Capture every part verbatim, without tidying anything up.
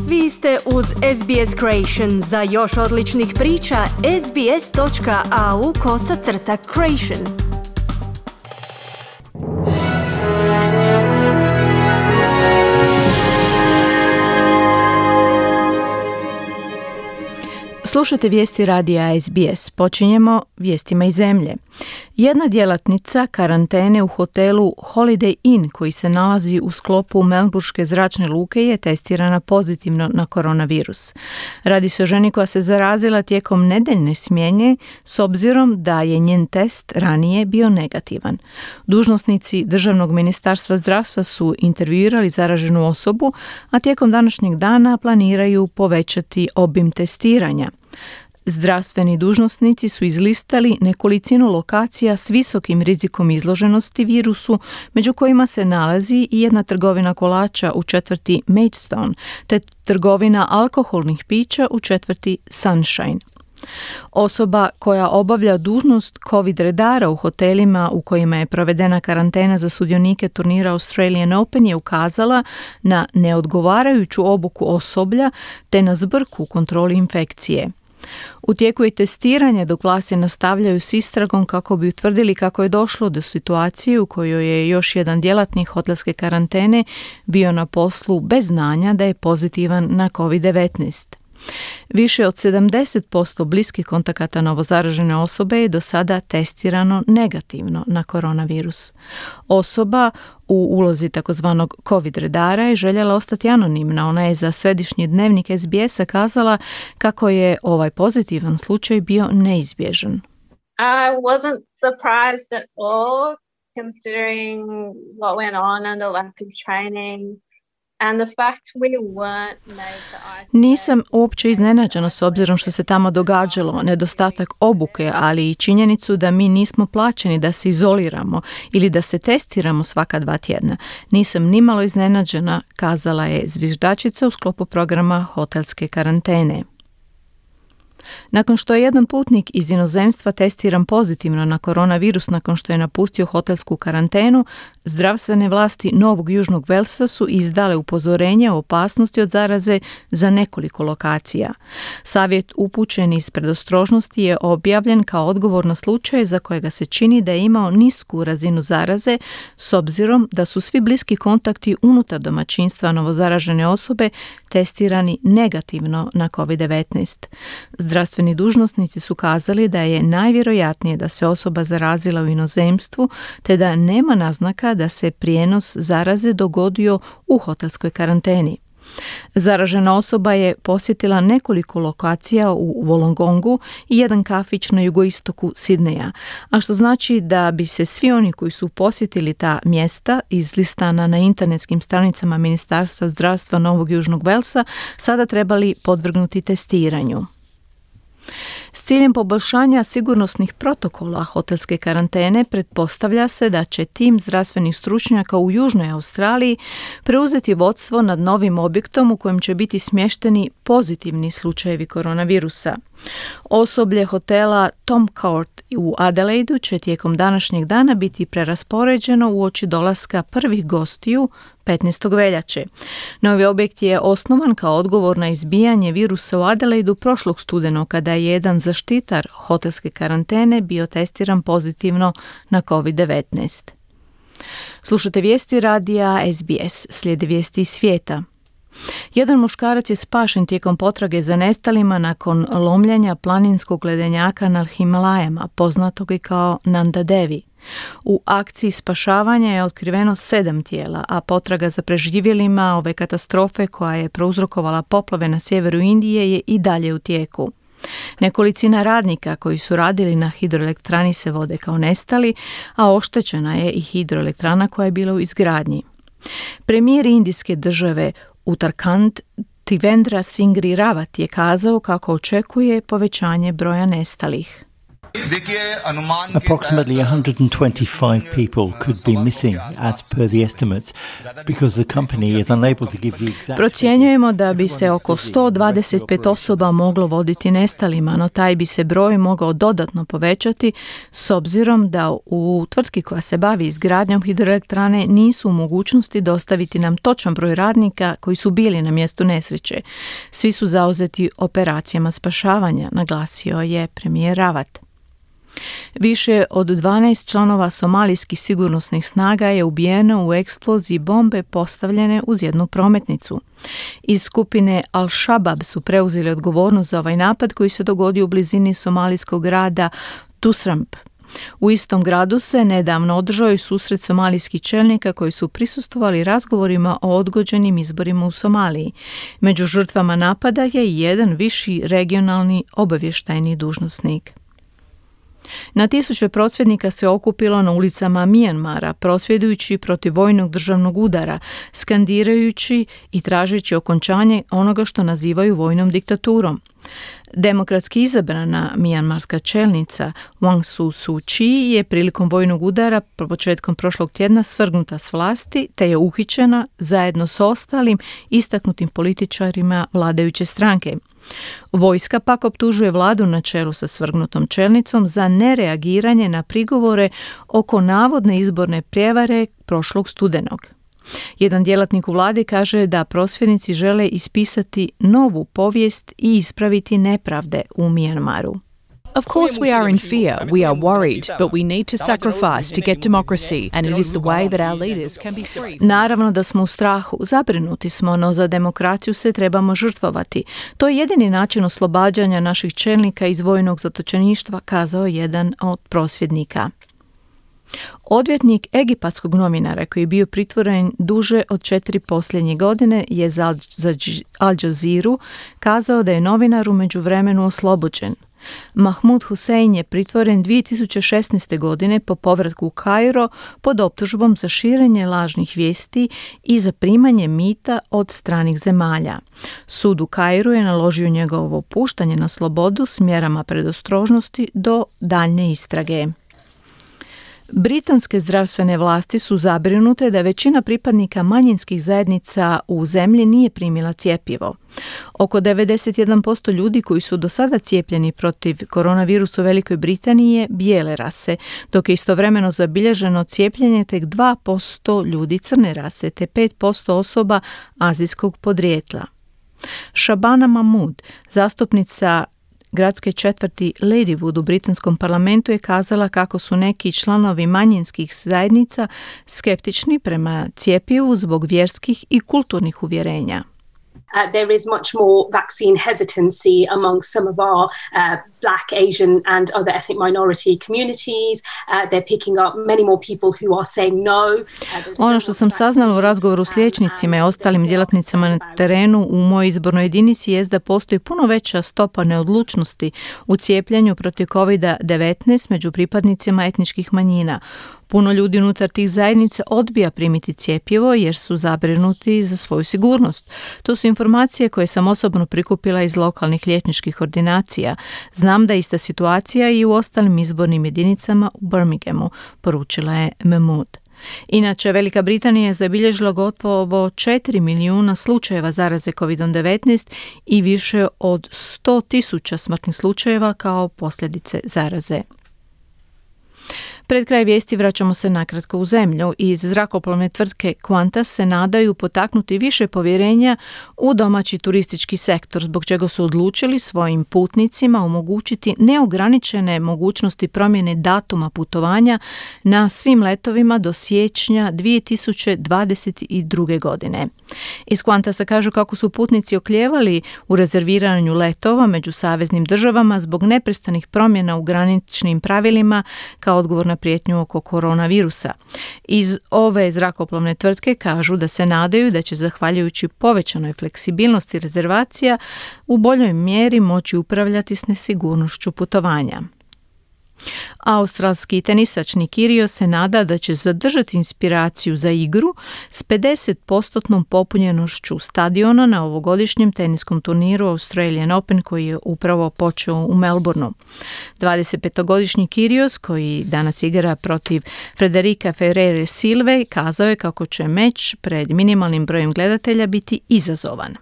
Vi ste uz S B S Creation. Za još odličnih priča, sbs.au kosacrta creation. Slušajte vijesti radija S B S. Počinjemo vijestima iz zemlje. Jedna djelatnica karantene u hotelu Holiday Inn koji se nalazi u sklopu Melburške zračne luke je testirana pozitivno na koronavirus. Radi se o ženi koja se zarazila tijekom nedeljne smjene s obzirom da je njen test ranije bio negativan. Dužnosnici Državnog ministarstva zdravstva su intervjuirali zaraženu osobu, a tijekom današnjeg dana planiraju povećati obim testiranja. Zdravstveni dužnosnici su izlistali nekolicinu lokacija s visokim rizikom izloženosti virusu, među kojima se nalazi i jedna trgovina kolača u četvrti Maidstone, te trgovina alkoholnih pića u četvrti Sunshine. Osoba koja obavlja dužnost COVID redara u hotelima u kojima je provedena karantena za sudionike turnira Australian Open je ukazala na neodgovarajuću obuku osoblja te na zbrku u kontroli infekcije. U tijeku je testiranje dok vlasti nastavljaju s istragom kako bi utvrdili kako je došlo do situacije u kojoj je još jedan djelatnik hotelske karantene bio na poslu bez znanja da je pozitivan na covid devetnaest. Više od sedamdeset posto bliskih kontakata novozaražene osobe je do sada testirano negativno na koronavirus. Osoba u ulozi takozvanog COVID redara je željela ostati anonimna. Ona je za središnji dnevnik S B S-a kazala kako je ovaj pozitivan slučaj bio neizbježan. I wasn't surprised at all considering what went on and the lack of training. Nisam uopće iznenađena s obzirom što se tamo događalo, nedostatak obuke, ali i činjenicu da mi nismo plaćeni da se izoliramo ili da se testiramo svaka dva tjedna. Nisam nimalo iznenađena, kazala je zviždačica u sklopu programa hotelske karantene. Nakon što je jedan putnik iz inozemstva testiran pozitivno na koronavirus nakon što je napustio hotelsku karantenu, zdravstvene vlasti Novog Južnog Velsa su izdale upozorenje o opasnosti od zaraze za nekoliko lokacija. Savjet upućen iz predostrožnosti je objavljen kao odgovor na slučaje za kojega se čini da je imao nisku razinu zaraze s obzirom da su svi bliski kontakti unutar domaćinstva novozaražene osobe testirani negativno na covid devetnaest. Zdravstveni dužnosnici su kazali da je najvjerojatnije da se osoba zarazila u inozemstvu te da nema naznaka da se prijenos zaraze dogodio u hotelskoj karanteni. Zaražena osoba je posjetila nekoliko lokacija u Wollongongu i jedan kafić na jugoistoku Sidneja, a što znači da bi se svi oni koji su posjetili ta mjesta izlistana na internetskim stranicama Ministarstva zdravstva Novog Južnog Velsa sada trebali podvrgnuti testiranju. S ciljem poboljšanja sigurnosnih protokola hotelske karantene pretpostavlja se da će tim zdravstvenih stručnjaka u Južnoj Australiji preuzeti vodstvo nad novim objektom u kojem će biti smješteni pozitivni slučajevi koronavirusa. Osoblje hotela Tom Court u Adelaidu će tijekom današnjeg dana biti preraspoređeno uoči dolaska prvih gostiju petnaestog veljače. Novi objekt je osnovan kao odgovor na izbijanje virusa u Adelaidu prošlog studenog kada je jedan zaštitar hotelske karantene bio testiran pozitivno na covid devetnaest. Slušate vijesti radija S B S, slijede vijesti iz svijeta. Jedan muškarac je spašen tijekom potrage za nestalima nakon lomljanja planinskog ledenjaka na Himalajama, poznatog i kao Nanda Devi. U akciji spašavanja je otkriveno sedam tijela, a potraga za preživjelima ove katastrofe koja je prouzrokovala poplave na sjeveru Indije je i dalje u tijeku. Nekolicina radnika koji su radili na hidroelektrani se vode kao nestali, a oštećena je i hidroelektrana koja je bila u izgradnji. Premijer indijske države Uttarakhand Trivendra Singh Rawat je kazao kako očekuje povećanje broja nestalih. Approximately one hundred twenty-five people could be missing as per the estimates because the company is unable to give the exact... Procjenjujemo da bi se oko sto dvadeset pet osoba moglo voditi nestalima, no taj bi se broj mogao dodatno povećati s obzirom da u tvrtki koja se bavi izgradnjom hidroelektrane nisu u mogućnosti dostaviti nam točan broj radnika koji su bili na mjestu nesreće. Svi su zauzeti operacijama spašavanja, naglasio je premijer Rawat. Više od dvanaest članova somalijskih sigurnosnih snaga je ubijeno u eksploziji bombe postavljene uz jednu prometnicu. Iz skupine Al-Shabaab su preuzeli odgovornost za ovaj napad koji se dogodio u blizini somalijskog grada Tusramp. U istom gradu se nedavno održao i susret somalijskih čelnika koji su prisustvovali razgovorima o odgođenim izborima u Somaliji. Među žrtvama napada je i jedan viši regionalni obavještajni dužnosnik. Na tisuće prosvjednika se okupilo na ulicama Mijanmara, prosvjedujući protiv vojnog državnog udara, skandirajući i tražeći okončanje onoga što nazivaju vojnom diktaturom. Demokratski izabrana mijanmarska čelnica Aung San Suu Kyi je prilikom vojnog udara početkom prošlog tjedna svrgnuta s vlasti te je uhićena zajedno s ostalim istaknutim političarima vladajuće stranke. Vojska pak optužuje vladu na čelu sa svrgnutom čelnicom za nereagiranje na prigovore oko navodne izborne prijevare prošlog studenog. Jedan djelatnik u vladi kaže da prosvjednici žele ispisati novu povijest i ispraviti nepravde u Mijanmaru. Of course we are in fear, we are worried, but we need to sacrifice to get democracy and it is the way that our leaders can be free. Naravno da smo u strahu, zabrinuti smo, no za demokraciju se trebamo žrtvovati. To je jedini način oslobađanja naših čelnika iz vojnog zatočeništva, kazao jedan od prosvjednika. Odvjetnik egipatskog novinara koji je bio pritvoren duže od četiri posljednje godine je za Al Jazeeru kazao da je novinar u međuvremenu oslobođen. Mahmud Hussein je pritvoren dvije tisuće šesnaeste. godine po povratku u Kairo pod optužbom za širenje lažnih vijesti i za primanje mita od stranih zemalja. Sud u Kairu je naložio njegovo puštanje na slobodu s mjerama predostrožnosti do daljnje istrage. Britanske zdravstvene vlasti su zabrinute da većina pripadnika manjinskih zajednica u zemlji nije primila cjepivo. Oko devedeset jedan posto ljudi koji su do sada cijepljeni protiv koronavirusa u Velikoj Britaniji je bijele rase, dok je istovremeno zabilježeno cijepljenje tek dva posto ljudi crne rase te pet posto osoba azijskog podrijetla. Shabana Mahmood, zastupnica gradske četvrti Ladywood u britanskom parlamentu, je kazala kako su neki članovi manjinskih zajednica skeptični prema cjepivu zbog vjerskih i kulturnih uvjerenja. Uh, there is much more vaccine hesitancy among some of our uh, Black, Asian and other ethnic minority communities. Uh, they're picking up many more people who are saying no. Uh, ono što sam saznala u razgovoru s liječnicima i ostalim djelatnicama na terenu u mojoj izbornoj jedinici je da postoji puno veća stopa neodlučnosti u cijepljenju protiv kovid devetnaest među pripadnicima etničkih manjina. Puno ljudi unutar tih zajednica odbija primiti cjepivo jer su zabrinuti za svoju sigurnost. To su informacije koje sam osobno prikupila iz lokalnih liječničkih ordinacija. Znam da je ista situacija i u ostalim izbornim jedinicama u Birminghamu, poručila je Mahmood. Inače, Velika Britanija je zabilježila gotovo četiri milijuna slučajeva zaraze kovid devetnaest i više od sto tisuća smrtnih slučajeva kao posljedice zaraze. Pred kraj vijesti vraćamo se nakratko u zemlju. Iz zrakoplovne tvrtke Qantas se nadaju potaknuti više povjerenja u domaći turistički sektor, zbog čega su odlučili svojim putnicima omogućiti neograničene mogućnosti promjene datuma putovanja na svim letovima do siječnja dvije tisuće dvadeset druge. godine. Iz Qantasa kažu kako su putnici oklijevali u rezerviranju letova među saveznim državama zbog neprestanih promjena u graničnim pravilima kao odgovor na prijetnju oko koronavirusa. Iz ove zrakoplovne tvrtke kažu da se nadaju da će zahvaljujući povećanoj fleksibilnosti rezervacija u boljoj mjeri moći upravljati s nesigurnošću putovanja. Australski tenisač Nick Kyrgios se nada da će zadržati inspiraciju za igru s pedeset posto popunjenošću stadiona na ovogodišnjem teniskom turniru Australian Open koji je upravo počeo u Melbourneu. dvadesetpetogodišnji Kyrgios, koji danas igra protiv Frederika Ferreira Silve, kazao je kako će meč pred minimalnim brojem gledatelja biti izazovan.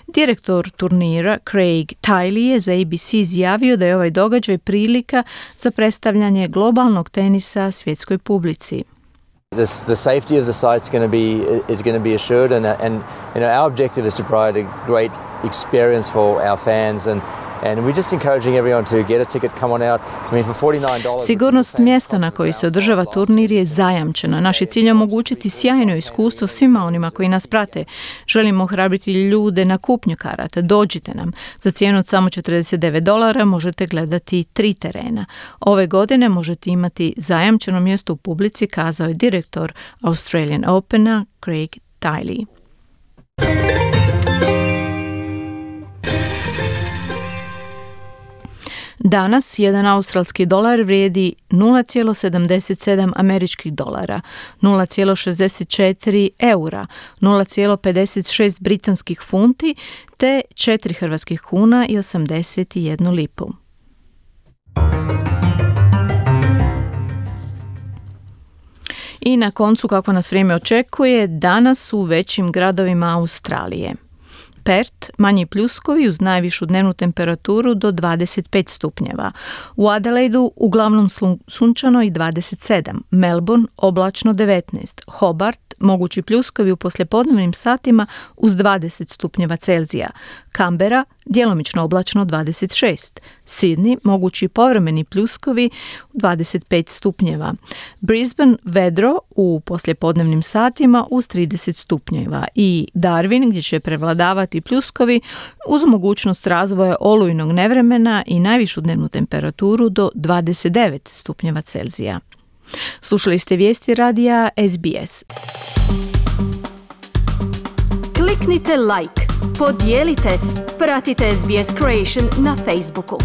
Direktor turnira Craig Tiley je za A B C izjavio da je ovaj događaj prilika za predstavljanje globalnog tenisa svjetskoj publici. The, the safety of the site is going to be is going to be assured, and and you know our objective is to provide a great experience for our fans, and and we're just encouraging everyone to get a ticket, come on out. I mean, for forty-nine dollars. Sigurnost mjesta na koji se održava turnir je zajamčena. Naš je cilj omogućiti sjajno iskustvo svima onima koji nas prate. Želimo ohrabriti ljude na kupnju karata. Dođite nam. Za cijenu od samo četrdeset devet dolara možete gledati tri terena. Ove godine možete imati zajamčeno mjesto u publici, kazao je direktor Australian Opena Craig Tiley. Danas jedan australski dolar vrijedi nula zarez sedamdeset sedam američkih dolara, nula zarez šezdeset četiri eura, nula zarez pedeset šest britanskih funti te četiri hrvatskih kuna i osamdeset jednu lipu. I na koncu, kako nas vrijeme očekuje, danas u većim gradovima Australije. Perth, manji pljuskovi uz najvišu dnevnu temperaturu do dvadeset pet stupnjeva. U Adelaidu uglavnom sunčano i dvadeset sedam. Melbourne oblačno devetnaest. Hobart mogući pljuskovi u poslijepodnevnim satima uz dvadeset stupnjeva Celzija. Canberra djelomično oblačno dvadeset šest. Sydney mogući povremeni pljuskovi dvadeset pet stupnjeva. Brisbane vedro u poslijepodnevnim satima uz trideset stupnjeva i Darwin gdje će prevladavati pljuskovi uz mogućnost razvoja olujnog nevremena i najvišu dnevnu temperaturu do dvadeset devet stupnjeva Celzija. Slušali ste vijesti radija S B S. Kliknite like, podijelite, pratite S B S Creation na Facebooku.